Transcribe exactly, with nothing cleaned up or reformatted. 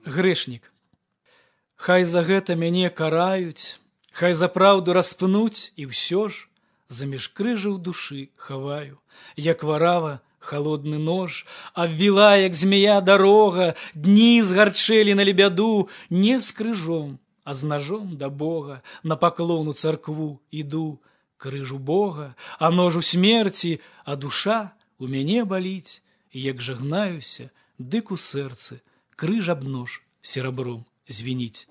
Грэшнік. Хай за гэта мяне караюць, хай за праўду распнуць, і ўсё ж заміж крыжа ў душы хаваю, як варава холодны нож, обвела, як змея, дорога, дні згарчэлі на лебяду, не з крыжом, а з ножом да Бога, на паклон у царкву іду, крыжу Бога, а нож у смерці, а душа у мяне баліць, як жагнаюся, дык у сэрцы крыж аб нож серабром звініць.